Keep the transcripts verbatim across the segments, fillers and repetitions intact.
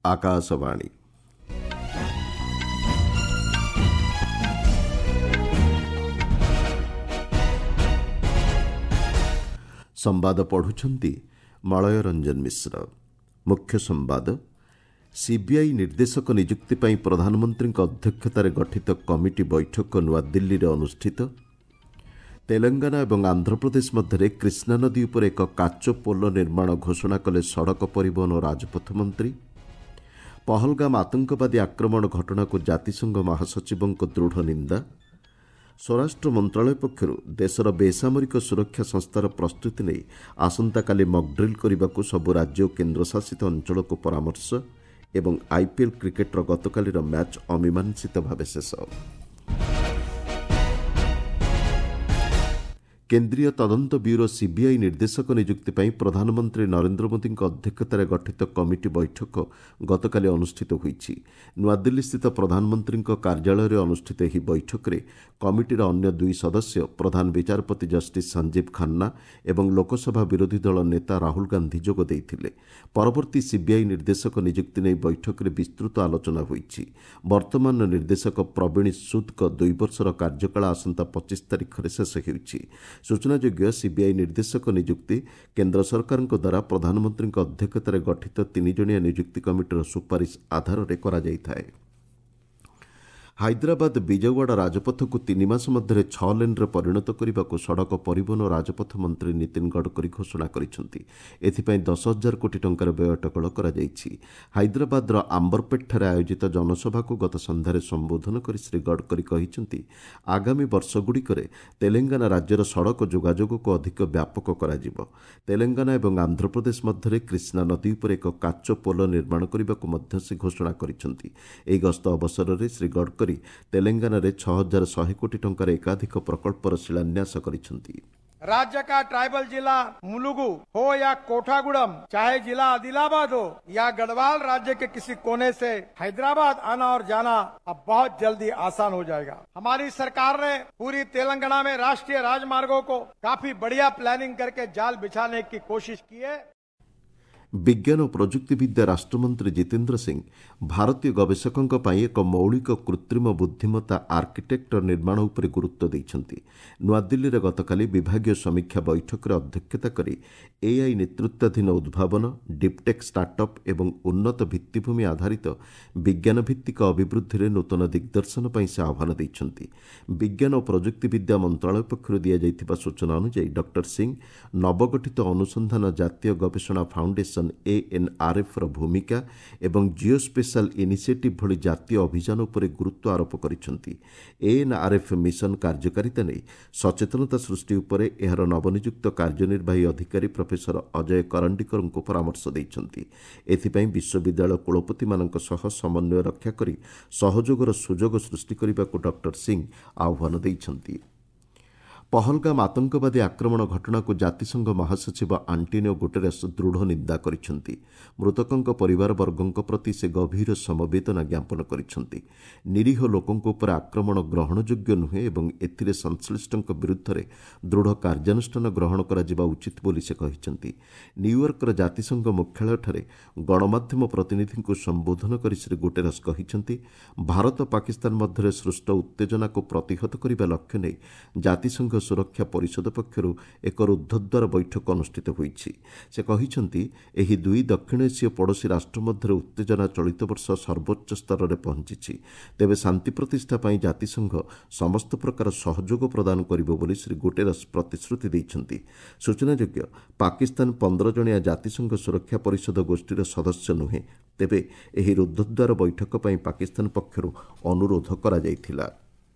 ଆକାଶବାଣୀ ସମ୍ବାଦ ପଢୁଛନ୍ତି ମଳୟ ରଞ୍ଜନ ମିଶ୍ର। ମୁଖ୍ୟ ସମ୍ବାଦ। ସିବିଆଇ ନିର୍ଦ୍ଦେଶକ ନିଯୁକ୍ତି ପାଇଁ ପ୍ରଧାନମନ୍ତ୍ରୀଙ୍କ ଅଧ୍ୟକ୍ଷତାରେ ଗଠିତ କମିଟି ବୈଠକ ନୂଆଦିଲ୍ଲୀରେ ଅନୁଷ୍ଠିତ। ତେଲେଙ୍ଗାନା ଏବଂ ଆନ୍ଧ୍ରପ୍ରଦେଶ ମଧ୍ୟରେ କୃଷ୍ଣାନଦୀ ଉପରେ ଏକ କାଚ ପୋଲ ନିର୍ମାଣ ଘୋଷଣା କଲେ ସଡ଼କ ପରିବହନ ଓ ରାଜପଥ ମନ୍ତ୍ରୀ। ପହଲଗାମ ଆତଙ୍କବାଦୀ ଆକ୍ରମଣ ଘଟଣାକୁ ଜାତିସଂଘ ମହାସଚିବଙ୍କ ଦୃଢ଼ ନିନ୍ଦା। ସ୍ୱରାଷ୍ଟ୍ର ମନ୍ତ୍ରଣାଳୟ ପକ୍ଷରୁ ଦେଶର ବେସାମରିକ ସୁରକ୍ଷା ସଂସ୍ଥାର ପ୍ରସ୍ତୁତି ନେଇ ଆସନ୍ତାକାଲି ମକ୍ଡ୍ରିଲ୍ କରିବାକୁ ସବୁ ରାଜ୍ୟ ଓ କେନ୍ଦ୍ରଶାସିତ ଅଞ୍ଚଳକୁ ପରାମର୍ଶ। ଏବଂ ଆଇପିଏଲ୍ କ୍ରିକେଟ୍ର ଗତକାଲିର ମ୍ୟାଚ୍ ଅମୀମାଂସିତ ଭାବେ ଶେଷ। କେନ୍ଦ୍ରୀୟ ତଦନ୍ତ ବ୍ୟୁରୋ ସିବିଆଇ ନିର୍ଦ୍ଦେଶକ ନିଯୁକ୍ତି ପାଇଁ ପ୍ରଧାନମନ୍ତ୍ରୀ ନରେନ୍ଦ୍ର ମୋଦିଙ୍କ ଅଧ୍ୟକ୍ଷତାରେ ଗଠିତ କମିଟି ବୈଠକ ଗତକାଲି ଅନୁଷ୍ଠିତ ହୋଇଛି। ନୂଆଦିଲ୍ଲୀସ୍ଥିତ ପ୍ରଧାନମନ୍ତ୍ରୀଙ୍କ କାର୍ଯ୍ୟାଳୟରେ ଅନୁଷ୍ଠିତ ଏହି ବୈଠକରେ କମିଟିର ଅନ୍ୟ ଦୁଇ ସଦସ୍ୟ ପ୍ରଧାନ ବିଚାରପତି ଜଷ୍ଟିସ୍ ସଞ୍ଜୀବ ଖାନ୍ନା ଏବଂ ଲୋକସଭା ବିରୋଧୀ ଦଳ ନେତା ରାହୁଲ ଗାନ୍ଧୀ ଯୋଗ ଦେଇଥିଲେ। ପରବର୍ତ୍ତୀ ସିବିଆଇ ନିର୍ଦ୍ଦେଶକ ନିଯୁକ୍ତି ନେଇ ବୈଠକରେ ବିସ୍ତୃତ ଆଲୋଚନା ହୋଇଛି। ବର୍ତ୍ତମାନର ନିର୍ଦ୍ଦେଶକ ପ୍ରବୀଣ ସୁଦ୍ଙ୍କ ଦୁଇ ବର୍ଷର କାର୍ଯ୍ୟକାଳ ଆସନ୍ତା ପଚିଶ ତାରିଖରେ ଶେଷ ହେଉଛି। ସୂଚନାଯୋଗ୍ୟ, ସିବିଆଇ ନିର୍ଦ୍ଦେଶକ ନିଯୁକ୍ତି କେନ୍ଦ୍ର ସରକାରଙ୍କ ଦ୍ୱାରା ପ୍ରଧାନମନ୍ତ୍ରୀଙ୍କ ଅଧ୍ୟକ୍ଷତାରେ ଗଠିତ ତିନିଜଣିଆ ନିଯୁକ୍ତି କମିଟିର ସୁପାରିଶ ଆଧାରରେ କରାଯାଇଥାଏ। ହାଇଦ୍ରାବାଦ ବିଜୟୱାଡ଼ା ରାଜପଥକୁ ତିନି ମାସ ମଧ୍ୟରେ ଛଅ ଲେନ୍ରେ ପରିଣତ କରିବାକୁ ସଡ଼କ ପରିବହନ ଓ ରାଜପଥ ମନ୍ତ୍ରୀ ନୀତିନ ଗଡ଼କରୀ ଘୋଷଣା କରିଛନ୍ତି। ଏଥିପାଇଁ ଦଶ ହଜାର କୋଟି ଟଙ୍କାର ବ୍ୟୟ ଅଟକଳ କରାଯାଇଛି। ହାଇଦ୍ରାବାଦର ଆମ୍ବରପେଟ୍ଠାରେ ଆୟୋଜିତ ଜନସଭାକୁ ଗତ ସନ୍ଧ୍ୟାରେ ସମ୍ବୋଧନ କରି ଶ୍ରୀ ଗଡ଼କରୀ କହିଛନ୍ତି, ଆଗାମୀ ବର୍ଷଗୁଡ଼ିକରେ ତେଲେଙ୍ଗାନା ରାଜ୍ୟର ସଡ଼କ ଯୋଗାଯୋଗକୁ ଅଧିକ ବ୍ୟାପକ କରାଯିବ। ତେଲେଙ୍ଗାନା ଏବଂ ଆନ୍ଧ୍ରପ୍ରଦେଶ ମଧ୍ୟରେ କୃଷ୍ଣା ନଦୀ ଉପରେ ଏକ କାଚ ପୋଲ ନିର୍ମାଣ କରିବାକୁ ମଧ୍ୟ ସେ ଘୋଷଣା କରିଛନ୍ତି। ଏହି ଗସ୍ତ ଅବସରରେ ଶ୍ରୀ ଗଡ଼କରୀ ତେଲେଙ୍ଗାନାରେ ଛଅ ହଜାର ଶହେ କୋଟି ଟଙ୍କାର ଏକାଧିକ ପ୍ରକଳ୍ପର ଶିଳାନ୍ୟାସ କରିଛନ୍ତି। राज्य का ट्राइबल जिला मुलुगु हो या कोठागुड़म, चाहे जिला आदिलाबाद हो या गढ़वाल, राज्य के किसी कोने से हैदराबाद आना और जाना अब बहुत जल्दी आसान हो जाएगा। हमारी सरकार ने पूरी तेलंगाना में राष्ट्रीय राजमार्गों को काफी बढ़िया प्लानिंग करके जाल बिछाने की कोशिश की है। ବିଜ୍ଞାନ ଓ ପ୍ରଯୁକ୍ତିବିଦ୍ୟା ରାଷ୍ଟ୍ରମନ୍ତ୍ରୀ ଜିତେନ୍ଦ୍ର ସିଂ ଭାରତୀୟ ଗବେଷକଙ୍କ ପାଇଁ ଏକ ମୌଳିକ କୃତ୍ରିମ ବୁଦ୍ଧିମତ୍ତା ଆର୍କିଟେକ୍ଟର ନିର୍ମାଣ ଉପରେ ଗୁରୁତ୍ୱ ଦେଇଛନ୍ତି। ନୂଆଦିଲ୍ଲୀରେ ଗତକାଲି ବିଭାଗୀୟ ସମୀକ୍ଷା ବୈଠକରେ ଅଧ୍ୟକ୍ଷତା କରି ଏଆଇ ନେତୃତ୍ୱାଧୀନ ଉଦ୍ଭାବନ, ଡିପ୍ଟେକ୍ ଷ୍ଟାର୍ଟଅପ୍ ଏବଂ ଉନ୍ନତ ଭିତ୍ତିଭୂମି ଆଧାରିତ ବିଜ୍ଞାନଭିତ୍ତିକ ଅଭିବୃଦ୍ଧିରେ ନୂତନ ଦିଗ୍ଦର୍ଶନ ପାଇଁ ସେ ଆହ୍ୱାନ ଦେଇଛନ୍ତି। ବିଜ୍ଞାନ ଓ ପ୍ରଯୁକ୍ତିବିଦ୍ୟା ମନ୍ତ୍ରଣାଳୟ ପକ୍ଷରୁ ଦିଆଯାଇଥିବା ସୂଚନା ଅନୁଯାୟୀ ଡକ୍ଟର ସିଂ ନବଗଠିତ ଅନୁସନ୍ଧାନ ଜାତୀୟ ଗବେଷଣା ଫାଉଣ୍ଡେସନ ଏଏନ୍ଆର୍ଏଫ୍ର ଭୂମିକା ଏବଂ ଜିଓ ସ୍ପେଶାଲ ଇନିସିଏଟିଭ୍ ଭଳି ଜାତୀୟ ଅଭିଯାନ ଉପରେ ଗୁରୁତ୍ୱ ଆରୋପ କରିଛନ୍ତି। ଏଏନ୍ଆର୍ଏଫ୍ ମିଶନ କାର୍ଯ୍ୟକାରିତା ନେଇ ସଚେତନତା ସୃଷ୍ଟି ଉପରେ ଏହାର ନବନିଯୁକ୍ତ କାର୍ଯ୍ୟନିର୍ବାହୀ ଅଧିକାରୀ ପ୍ରଫେସର ଅଜୟ କରଣ୍ଡିକରଙ୍କୁ ପରାମର୍ଶ ଦେଇଛନ୍ତି। ଏଥିପାଇଁ ବିଶ୍ୱବିଦ୍ୟାଳୟ କୁଳପତିମାନଙ୍କ ସହ ସମନ୍ୱୟ ରକ୍ଷା କରି ସହଯୋଗର ସୁଯୋଗ ସୃଷ୍ଟି କରିବାକୁ ଡକ୍ଟର ସିଂ ଆହ୍ୱାନ ଦେଇଛନ୍ତି। ପହଲଗାମ ଆତଙ୍କବାଦୀ ଆକ୍ରମଣ ଘଟଣାକୁ ଜାତିସଂଘ ମହାସଚିବ ଆଣ୍ଟୋନିଓ ଗୁଟେରସ୍ ଦୃଢ଼ ନିନ୍ଦା କରିଛନ୍ତି। ମୃତକଙ୍କ ପରିବାରବର୍ଗଙ୍କ ପ୍ରତି ସେ ଗଭୀର ସମବେଦନା ଜ୍ଞାପନ କରିଛନ୍ତି। ନିରୀହ ଲୋକଙ୍କ ଉପରେ ଆକ୍ରମଣ ଗ୍ରହଣଯୋଗ୍ୟ ନୁହେଁ ଏବଂ ଏଥିରେ ସଂଶ୍ଳିଷ୍ଟଙ୍କ ବିରୁଦ୍ଧରେ ଦୃଢ଼ କାର୍ଯ୍ୟାନୁଷ୍ଠାନ ଗ୍ରହଣ କରାଯିବା ଉଚିତ ବୋଲି ସେ କହିଛନ୍ତି। ନ୍ୟୁୟର୍କର ଜାତିସଂଘ ମୁଖ୍ୟାଳୟଠାରେ ଗଣମାଧ୍ୟମ ପ୍ରତିନିଧିଙ୍କୁ ସମ୍ବୋଧନ କରି ଶ୍ରୀ ଗୁଟେରସ୍ କହିଛନ୍ତି, ଭାରତ ପାକିସ୍ତାନ ମଧ୍ୟରେ ସୃଷ୍ଟ ଉତ୍ତେଜନାକୁ ପ୍ରତିହତ କରିବା ଲକ୍ଷ୍ୟ ନେଇ ଜାତିସଂଘ ସୁରକ୍ଷା ପରିଷଦ ପକ୍ଷରୁ ଏକ ରୁଦ୍ଧଦ୍ୱାର ବୈଠକ ଅନୁଷ୍ଠିତ ହୋଇଛି। ସେ କହିଛନ୍ତି, ଏହି ଦୁଇ ଦକ୍ଷିଣ ଏସୀୟ ପଡ଼ୋଶୀ ରାଷ୍ଟ୍ର ମଧ୍ୟରେ ଉତ୍ତେଜନା ଚଳିତ ବର୍ଷ ସର୍ବୋଚ୍ଚ ସ୍ତରରେ ପହଞ୍ଚିଛି। ତେବେ ଶାନ୍ତି ପ୍ରତିଷ୍ଠା ପାଇଁ ଜାତିସଂଘ ସମସ୍ତ ପ୍ରକାର ସହଯୋଗ ପ୍ରଦାନ କରିବ ବୋଲି ଶ୍ରୀ ଗୁଟେରସ୍ ପ୍ରତିଶ୍ରୁତି ଦେଇଛନ୍ତି। ସୂଚନାଯୋଗ୍ୟ, ପାକିସ୍ତାନ ପନ୍ଦର ଜଣିଆ ଜାତିସଂଘ ସୁରକ୍ଷା ପରିଷଦ ଗୋଷ୍ଠୀର ସଦସ୍ୟ ନୁହେଁ। ତେବେ ଏହି ରୁଦ୍ଧଦ୍ୱାର ବୈଠକ ପାଇଁ ପାକିସ୍ତାନ ପକ୍ଷରୁ ଅନୁରୋଧ କରାଯାଇଥିଲା।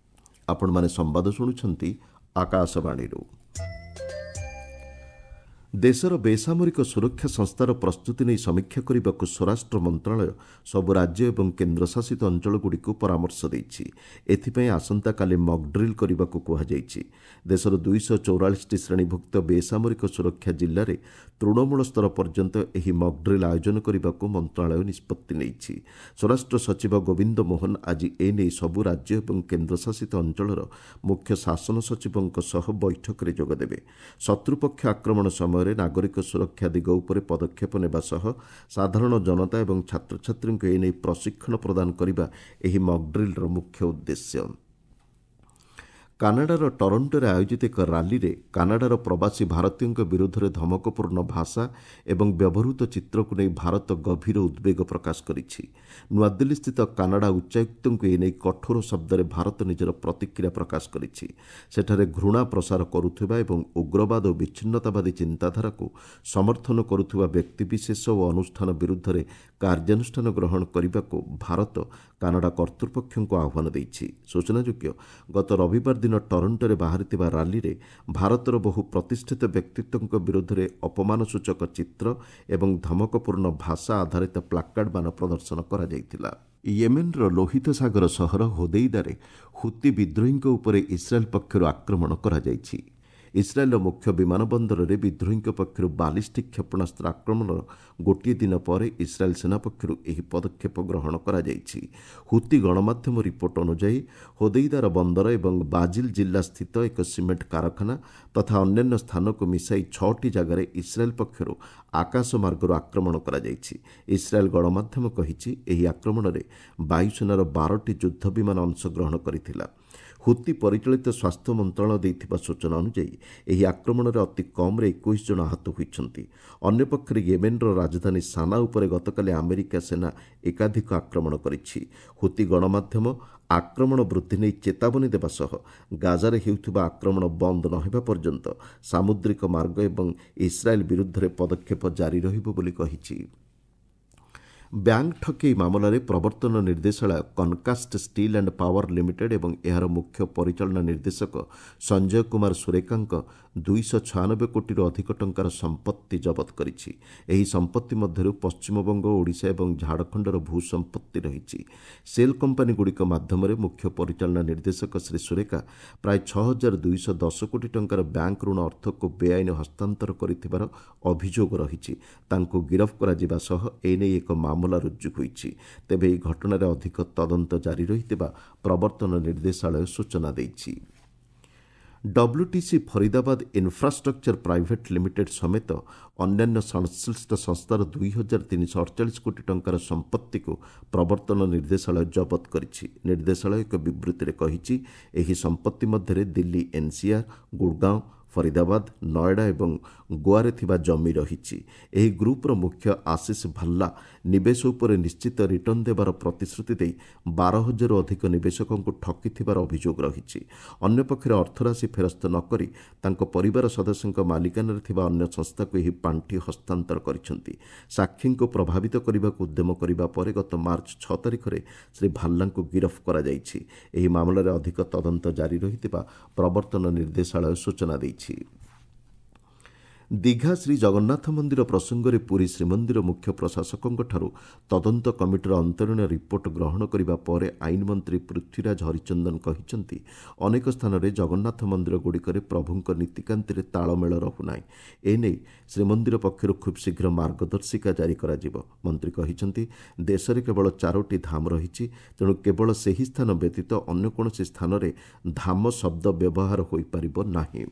ଆପଣମାନେ ସମ୍ବାଦ ଶୁଣୁଛନ୍ତି ଆକାଶବାଣୀରୁ। ଦେଶର ବେସାମରିକ ସୁରକ୍ଷା ସଂସ୍ଥାର ପ୍ରସ୍ତୁତି ନେଇ ସମୀକ୍ଷା କରିବାକୁ ସ୍ୱରାଷ୍ଟ୍ର ମନ୍ତ୍ରଣାଳୟ ସବୁ ରାଜ୍ୟ ଏବଂ କେନ୍ଦ୍ରଶାସିତ ଅଞ୍ଚଳଗୁଡ଼ିକୁ ପରାମର୍ଶ ଦେଇଛି। ଏଥିପାଇଁ ଆସନ୍ତାକାଲି ମକ୍ଡ୍ରିଲ୍ କରିବାକୁ କୁହାଯାଇଛି। ଦେଶର ଦୁଇଶହ ଚଉରାଳିଶଟି ଶ୍ରେଣୀଭୁକ୍ତ ବେସାମରିକ ସୁରକ୍ଷା ଜିଲ୍ଲାରେ ତୃଣମୂଳ ସ୍ତର ପର୍ଯ୍ୟନ୍ତ ଏହି ମକ୍ଡ୍ରିଲ୍ ଆୟୋଜନ କରିବାକୁ ମନ୍ତ୍ରଣାଳୟ ନିଷ୍ପତ୍ତି ନେଇଛି। ସ୍ୱରାଷ୍ଟ୍ର ସଚିବ ଗୋବିନ୍ଦ ମୋହନ ଆଜି ଏନେଇ ସବୁ ରାଜ୍ୟ ଏବଂ କେନ୍ଦ୍ରଶାସିତ ଅଞ୍ଚଳର ମୁଖ୍ୟ ଶାସନ ସଚିବଙ୍କ ସହ ବୈଠକରେ ଯୋଗଦେବେ। ଶତ୍ରୁପକ୍ଷ ଆକ୍ରମଣ ସମୟରେ ସମୟରେ ନାଗରିକ ସୁରକ୍ଷା ଦିଗ ଉପରେ ପଦକ୍ଷେପ ନେବା ସହ ସାଧାରଣ ଜନତା ଏବଂ ଛାତ୍ରଛାତ୍ରୀଙ୍କୁ ଏନେଇ ପ୍ରଶିକ୍ଷଣ ପ୍ରଦାନ କରିବା ଏହି ମକ୍ଡ୍ରିଲ୍ର ମୁଖ୍ୟ ଉଦ୍ଦେଶ୍ୟ। କାନାଡାର ଟରଣ୍ଟୋରେ ଆୟୋଜିତ ଏକ ରାଲିରେ କାନାଡାର ପ୍ରବାସୀ ଭାରତୀୟଙ୍କ ବିରୁଦ୍ଧରେ ଧମକପୂର୍ଣ୍ଣ ଭାଷା ଏବଂ ବ୍ୟବହୃତ ଚିତ୍ରକୁ ନେଇ ଭାରତ ଗଭୀର ଉଦ୍ବେଗ ପ୍ରକାଶ କରିଛି। ନୂଆଦିଲ୍ଲୀସ୍ଥିତ କାନାଡା ଉଚ୍ଚାୟୁକ୍ତଙ୍କୁ ଏନେଇ କଠୋର ଶବ୍ଦରେ ଭାରତ ନିଜର ପ୍ରତିକ୍ରିୟା ପ୍ରକାଶ କରିଛି। ସେଠାରେ ଘୃଣା ପ୍ରସାର କରୁଥିବା ଏବଂ ଉଗ୍ରବାଦ ଓ ବିଚ୍ଛିନ୍ନତାବାଦୀ ଚିନ୍ତାଧାରାକୁ ସମର୍ଥନ କରୁଥିବା ବ୍ୟକ୍ତିବିଶେଷ ଓ ଅନୁଷ୍ଠାନ ବିରୁଦ୍ଧରେ କାର୍ଯ୍ୟାନୁଷ୍ଠାନ ଗ୍ରହଣ କରିବାକୁ ଭାରତ କାନାଡା କର୍ତ୍ତୃପକ୍ଷଙ୍କୁ ଆହ୍ୱାନ ଦେଇଛି। ସୂଚନାଯୋଗ୍ୟ, ଗତ ରବିବାର ଦିନ ଟରଣ୍ଟୋରେ ବାହାରିଥିବା ରାଲିରେ ଭାରତର ବହୁ ପ୍ରତିଷ୍ଠିତ ବ୍ୟକ୍ତିତ୍ୱଙ୍କ ବିରୁଦ୍ଧରେ ଅପମାନସୂଚକ ଚିତ୍ର ଏବଂ ଧମକପୂର୍ଣ୍ଣ ଭାଷା ଆଧାରିତ ପ୍ଲାକାର୍ଡମାନ ପ୍ରଦର୍ଶନ କରାଯାଇଥିଲା। ୟେମେନ୍ର ଲୋହିତ ସାଗର ସହର ହୋଦେଇଦାରେ ହୁତି ବିଦ୍ରୋହୀଙ୍କ ଉପରେ ଇସ୍ରାଏଲ୍ ପକ୍ଷରୁ ଆକ୍ରମଣ କରାଯାଇଛି। ଇସ୍ରାଏଲ୍ର ମୁଖ୍ୟ ବିମାନ ବନ୍ଦରରେ ବିଦ୍ରୋହୀଙ୍କ ପକ୍ଷରୁ ବାଲିଷ୍ଟିକ୍ କ୍ଷେପଣାସ୍ତ୍ର ଆକ୍ରମଣର ଗୋଟିଏ ଦିନ ପରେ ଇସ୍ରାଏଲ୍ ସେନା ପକ୍ଷରୁ ଏହି ପଦକ୍ଷେପ ଗ୍ରହଣ କରାଯାଇଛି। ହୁତି ଗଣମାଧ୍ୟମ ରିପୋର୍ଟ ଅନୁଯାୟୀ ହୋଦେଇଦାର ବନ୍ଦର ଏବଂ ବାଜିଲ୍ ଜିଲ୍ଲା ସ୍ଥିତ ଏକ ସିମେଣ୍ଟ କାରଖାନା ତଥା ଅନ୍ୟାନ୍ୟ ସ୍ଥାନକୁ ମିଶାଇ ଛଅଟି ଜାଗାରେ ଇସ୍ରାଏଲ୍ ପକ୍ଷରୁ ଆକାଶ ମାର୍ଗରୁ ଆକ୍ରମଣ କରାଯାଇଛି। ଇସ୍ରାଏଲ୍ ଗଣମାଧ୍ୟମ କହିଛି, ଏହି ଆକ୍ରମଣରେ ବାୟୁସେନାର ବାରଟି ଯୁଦ୍ଧ ବିମାନ ଅଂଶଗ୍ରହଣ କରିଥିଲା। ହୁତି ପରିଚାଳିତ ସ୍ୱାସ୍ଥ୍ୟ ମନ୍ତ୍ରଣାଳୟ ଦେଇଥିବା ସୂଚନା ଅନୁଯାୟୀ ଏହି ଆକ୍ରମଣରେ ଅତି କମ୍ରେ ଏକୋଇଶ ଜଣ ଆହତ ହୋଇଛନ୍ତି। ଅନ୍ୟପକ୍ଷରେ ୟେମେନ୍ର ରାଜଧାନୀ ସାନା ଉପରେ ଗତକାଲି ଆମେରିକା ସେନା ଏକାଧିକ ଆକ୍ରମଣ କରିଛି। ହୁତି ଗଣମାଧ୍ୟମ ଆକ୍ରମଣ ବୃଦ୍ଧି ନେଇ ଚେତାବନୀ ଦେବା ସହ ଗାଜାରେ ହେଉଥିବା ଆକ୍ରମଣ ବନ୍ଦ ନ ହେବା ପର୍ଯ୍ୟନ୍ତ ସାମୁଦ୍ରିକ ମାର୍ଗ ଏବଂ ଇସ୍ରାଏଲ୍ ବିରୁଦ୍ଧରେ ପଦକ୍ଷେପ ଜାରି ରହିବ ବୋଲି କହିଛି। ବ୍ୟାଙ୍କ ଠକେଇ ମାମଲାରେ ପ୍ରବର୍ତ୍ତନ ନିର୍ଦ୍ଦେଶାଳୟ Concast steel and power limited ଏବଂ ଏହାର ମୁଖ୍ୟ ପରିଚାଳନା ନିର୍ଦ୍ଦେଶକ ସଞ୍ଜୟ କୁମାର ସୁରେକାଙ୍କ ଦୁଇଶହ ଛୟାନବେ କୋଟିରୁ ଅଧିକ ଟଙ୍କାର ସମ୍ପତ୍ତି ଜବତ କରିଛି। ଏହି ସମ୍ପତ୍ତି ମଧ୍ୟରୁ ପଶ୍ଚିମବଙ୍ଗ, ଓଡ଼ିଶା ଏବଂ ଝାଡ଼ଖଣ୍ଡର ଭୂ ସମ୍ପତ୍ତି ରହିଛି। ସେଲ୍ କମ୍ପାନୀଗୁଡ଼ିକ ମାଧ୍ୟମରେ ମୁଖ୍ୟ ପରିଚାଳନା ନିର୍ଦ୍ଦେଶକ ଶ୍ରୀ ସୁରେକା ପ୍ରାୟ ଛଅ ହଜାର ଦୁଇଶହ ଦଶ କୋଟି ଟଙ୍କାର ବ୍ୟାଙ୍କ ଋଣ ଅର୍ଥକୁ ବେଆଇନ ହସ୍ତାନ୍ତର କରିଥିବାର ଅଭିଯୋଗ ରହିଛି। ତାଙ୍କୁ ଗିରଫ କରାଯିବା ସହ ଏନେଇ ଏକ ମାମଲା ରୁଜୁ ହୋଇଛି। ତେବେ ଏହି ଘଟଣାରେ ଅଧିକ ତଦନ୍ତ ଜାରି ରହିଥିବା ପ୍ରବର୍ତ୍ତନ ନିର୍ଦ୍ଦେଶାଳୟ ସୂଚନା ଦେଇଛି। WTC Faridabad infrastructure private limited ସମେତ ଅନ୍ୟାନ୍ୟ ସଂଶ୍ଳିଷ୍ଟ ସଂସ୍ଥାର ଦୁଇ ହଜାର ତିନିଶହ ଅଠଚାଳିଶ କୋଟି ଟଙ୍କାର ସମ୍ପତ୍ତିକୁ ପ୍ରବର୍ତ୍ତନ ନିର୍ଦ୍ଦେଶାଳୟ ଜବତ କରିଛି। ନିର୍ଦ୍ଦେଶାଳୟ ଏକ ବିବୃତ୍ତିରେ କହିଛି, ଏହି ସମ୍ପତ୍ତି ମଧ୍ୟରେ ଦିଲ୍ଲୀ ଏନ୍ସିଆର୍, ଗୁଡ଼ଗାଁଓ, ଫରିଦାବାଦ, ନଏଡା ଏବଂ ଗୋଆରେ ଥିବା ଜମି ରହିଛି। ଏହି ଗ୍ରୁପ୍ର ମୁଖ୍ୟ ଆଶିଷ ଭାଲ୍ଲା ନିବେଶ ଉପରେ ନିଶ୍ଚିତ ରିଟର୍ଣ୍ଣ ଦେବାର ପ୍ରତିଶ୍ରୁତି ଦେଇ ବାର ହଜାରରୁ ଅଧିକ ନିବେଶକଙ୍କୁ ଠକିଥିବାର ଅଭିଯୋଗ ରହିଛି। ଅନ୍ୟପକ୍ଷରେ ଅର୍ଥରାଶି ଫେରସ୍ତ ନ କରି ତାଙ୍କ ପରିବାର ସଦସ୍ୟଙ୍କ ମାଲିକାନାରେ ଥିବା ଅନ୍ୟ ସଂସ୍ଥାକୁ ଏହି ପାଣ୍ଠି ହସ୍ତାନ୍ତର କରିଛନ୍ତି। ସାକ୍ଷୀଙ୍କୁ ପ୍ରଭାବିତ କରିବାକୁ ଉଦ୍ୟମ କରିବା ପରେ ଗତ ମାର୍ଚ୍ଚ ଛଅ ତାରିଖରେ ଶ୍ରୀ ଭାଲ୍ଲାଙ୍କୁ ଗିରଫ କରାଯାଇଛି। ଏହି ମାମଲାରେ ଅଧିକ ତଦନ୍ତ ଜାରି ରହିଥିବା ପ୍ରବର୍ତ୍ତନ ନିର୍ଦ୍ଦେଶାଳୟ ସୂଚନା ଦେଇଛି। ଦୀଘା ଶ୍ରୀ ଜଗନ୍ନାଥ ମନ୍ଦିର ପ୍ରସଙ୍ଗରେ ପୁରୀ ଶ୍ରୀମନ୍ଦିର ମୁଖ୍ୟ ପ୍ରଶାସକଙ୍କଠାରୁ ତଦନ୍ତ କମିଟିର ଅନ୍ତରୀଣ ରିପୋର୍ଟ ଗ୍ରହଣ କରିବା ପରେ ଆଇନ ମନ୍ତ୍ରୀ ପୃଥ୍ୱୀରାଜ ହରିଚନ୍ଦନ କହିଛନ୍ତି, ଅନେକ ସ୍ଥାନରେ ଜଗନ୍ନାଥ ମନ୍ଦିରଗୁଡ଼ିକରେ ପ୍ରଭୁଙ୍କ ନୀତିକାନ୍ତିରେ ତାଳମେଳ ରହୁନାହିଁ। ଏନେଇ ଶ୍ରୀମନ୍ଦିର ପକ୍ଷରୁ ଖୁବ୍ ଶୀଘ୍ର ମାର୍ଗଦର୍ଶିକା ଜାରି କରାଯିବ। ମନ୍ତ୍ରୀ କହିଛନ୍ତି, ଦେଶରେ କେବଳ ଚାରୋଟି ଧାମ ରହିଛି, ତେଣୁ କେବଳ ସେହି ସ୍ଥାନ ବ୍ୟତୀତ ଅନ୍ୟ କୌଣସି ସ୍ଥାନରେ ଧାମ ଶବ୍ଦ ବ୍ୟବହାର ହୋଇପାରିବ ନାହିଁ।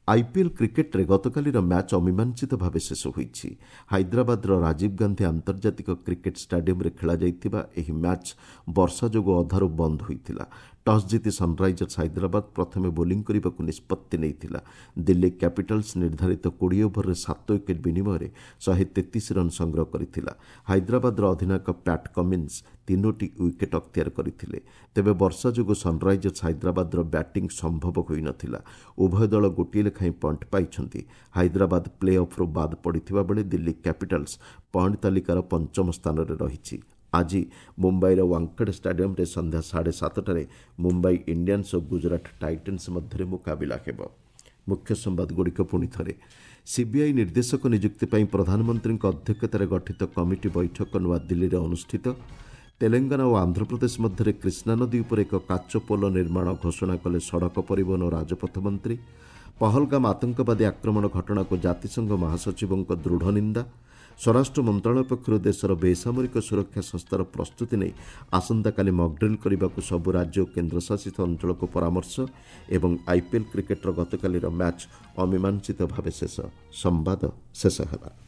ଆଇପିଏଲ୍ କ୍ରିକେଟ୍ରେ ଗତକାଲିର ମ୍ୟାଚ୍ ଅମୀମାଂସିତ ଭାବେ ଶେଷ ହୋଇଛି। ହାଇଦ୍ରାବାଦର ରାଜୀବ ଗାନ୍ଧୀ ଆନ୍ତର୍ଜାତିକ କ୍ରିକେଟ୍ ଷ୍ଟାଡିୟମ୍ରେ ଖେଳାଯାଇଥିବା ଏହି ମ୍ୟାଚ୍ ବର୍ଷା ଯୋଗୁଁ ଅଧାରୁ ବନ୍ଦ ହୋଇଥିଲା। ଟସ୍ ଜିତି ସନ୍ରାଇଜର୍ସ ହାଇଦ୍ରାବାଦ ପ୍ରଥମେ ବୋଲିଂ କରିବାକୁ ନିଷ୍ପତ୍ତି ନେଇଥିଲା। ଦିଲ୍ଲୀ କ୍ୟାପିଟାଲ୍ସ ନିର୍ଦ୍ଧାରିତ କୋଡ଼ିଏ ଓଭରରେ ସାତ ୱିକେଟ୍ ବିନିମୟରେ ଶହେ ତେତିଶ ରନ୍ ସଂଗ୍ରହ କରିଥିଲା। ହାଇଦ୍ରାବାଦର ଅଧିନାୟକ ପ୍ୟାଟ୍ କମିନ୍ସ ତିନୋଟି ୱିକେଟ୍ ଅକ୍ତିଆର କରିଥିଲେ। ତେବେ ବର୍ଷା ଯୋଗୁଁ ସନ୍ରାଇଜର୍ସ ହାଇଦ୍ରାବାଦର ବ୍ୟାଟିଂ ସମ୍ଭବ ହୋଇନଥିଲା। ଉଭୟ ଦଳ ଗୋଟିଏ ଲେଖାଏଁ ପଏଣ୍ଟ ପାଇଛନ୍ତି। ହାଇଦ୍ରାବାଦ ପ୍ଲେ ଅଫ୍ରୁ ବାଦ୍ ପଡ଼ିଥିବା ବେଳେ ଦିଲ୍ଲୀ କ୍ୟାପିଟାଲ୍ସ ପଏଣ୍ଟ ତାଲିକାର ପଞ୍ଚମ ସ୍ଥାନରେ ରହିଛି। ଆଜି ମୁମ୍ବାଇର ୱାଙ୍କଡେ ଷ୍ଟାଡିୟମ୍ରେ ସନ୍ଧ୍ୟା ସାଢ଼େ ସାତଟାରେ ମୁମ୍ବାଇ ଇଣ୍ଡିଆନ୍ସ ଓ ଗୁଜରାଟ ଟାଇଟନ୍ସ ମଧ୍ୟରେ ମୁକାବିଲା ହେବ। ମୁଖ୍ୟ ସମ୍ବାଦଗୁଡ଼ିକ ପୁଣି ଥରେ। ସିବିଆଇ ନିର୍ଦ୍ଦେଶକ ନିଯୁକ୍ତି ପାଇଁ ପ୍ରଧାନମନ୍ତ୍ରୀଙ୍କ ଅଧ୍ୟକ୍ଷତାରେ ଗଠିତ କମିଟି ବୈଠକ ନୂଆଦିଲ୍ଲୀରେ ଅନୁଷ୍ଠିତ। ତେଲେଙ୍ଗାନା ଓ ଆନ୍ଧ୍ରପ୍ରଦେଶ ମଧ୍ୟରେ କୃଷ୍ଣା ନଦୀ ଉପରେ ଏକ କାଚ ପୋଲ ନିର୍ମାଣ ଘୋଷଣା କଲେ ସଡ଼କ ପରିବହନ ଓ ରାଜପଥ ମନ୍ତ୍ରୀ। ପହଲଗାମ ଆତଙ୍କବାଦୀ ଆକ୍ରମଣ ଘଟଣାକୁ ଜାତିସଂଘ ମହାସଚିବଙ୍କ ଦୃଢ଼ ନିନ୍ଦା। ସ୍ୱରାଷ୍ଟ୍ର ମନ୍ତ୍ରଣାଳୟ ପକ୍ଷରୁ ଦେଶର ବେସାମରିକ ସୁରକ୍ଷା ସଂସ୍ଥାର ପ୍ରସ୍ତୁତି ନେଇ ଆସନ୍ତାକାଲି ମକ୍ଡ୍ରିଲ୍ କରିବାକୁ ସବୁ ରାଜ୍ୟ ଓ କେନ୍ଦ୍ରଶାସିତ ଅଞ୍ଚଳକୁ ପରାମର୍ଶ ଏବଂ ଆଇପିଏଲ୍ କ୍ରିକେଟ୍ର ଗତକାଲିର ମ୍ୟାଚ୍ ଅମୀମାଂସିତ ଭାବେ ଶେଷ। ସମ୍ବାଦ ଶେଷ ହେଲା।